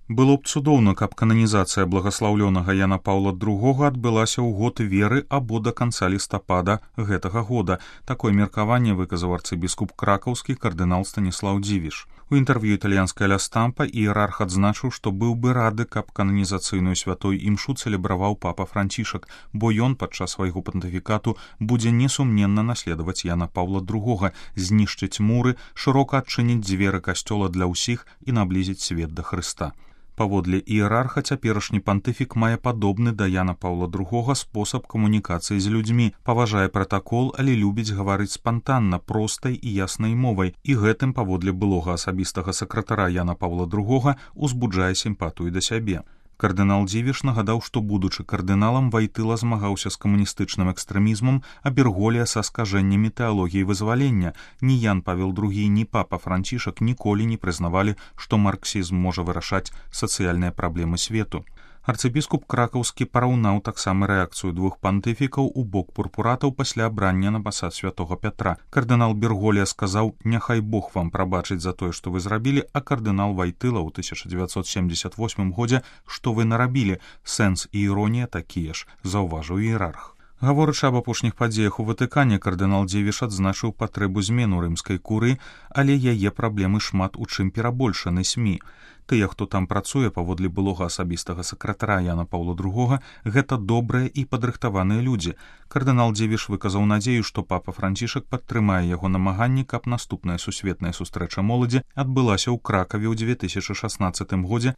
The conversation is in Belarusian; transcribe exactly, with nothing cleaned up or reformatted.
Было б цудоўна, каб кананізацыя благаслаўлёнага Яна Паўла другога адбылася ў год веры або да канца лістапада гэтага года. Такое меркаванне выказаў арцыбіскуп кракаўскі кардынал Станіслаў Дзівіш. У інтэрв'ю італьянскай Ля Стампа іерарх адзначыў, што быў бы рады, каб кананізацыйную святой імшу цэлебраваў папа Францішак, бо ён падчас свайго пантыфікату будзе несумненна наследаваць Яна Паўла другога, знішчыць муры, шырока адчыніць дзверы касцёла для ўсіх і наблізіць свет да Хрыста. Паводле іерарха, цяперашні пантыфік мае падобны да Яна Паўла другога спосаб камунікацыі з людзьмі, паважае пратакол, але любіць гаварыць спантанна, простай і яснай мовай, і гэтым, паводле былога асабістага сакратара Яна Паўла другога, узбуджае сімпатыю да сябе. Кардынал Дзівіш нагадаў, што, будучы кардыналам, Вайтыла змагаўся з камуністычным экстрэмізмам, а Берголія са скажэннямі тэалогіі вызвалення. Ні Ян Павел другі, ні папа Францішак ніколі не прызнавалі, што марксізм можа вырашаць сацыяльныя праблемы свету. Арцыбіскуп кракаўскі параўнаў таксама рэакцыю двух пантыфікаў у бок пурпуратаў пасля абрання на пасад святога Пятра. Кардынал Берголія сказаў: «Няхай Бог вам прабачыць за тое, што вы зрабілі», а кардынал Вайтыла ў тысяча дзевяцьсот семдзесят восьмым годзе: «Што вы нарабілі? Сэнс і іронія такія ж», заўважыў іерарх. Гаворачы аб апошніх падзеях у Ватыкане, кардынал Дзівіш адзначыў патрэбу змену рымскай курыі, але яе праблемы шмат у чым перабольшаны СМІ. Тыя, хто там працуе, паводле былога асабістага сакратара Яна Паўла другога, гэта добрыя і падрыхтаваныя людзі. Кардынал Дзівіш выказаў надзею, што папа Францішак падтрымае яго намаганні, каб наступная сусветная сустрэча моладзі адбылася ў Кракаве ў дзве тысячы шаснаццатым годзе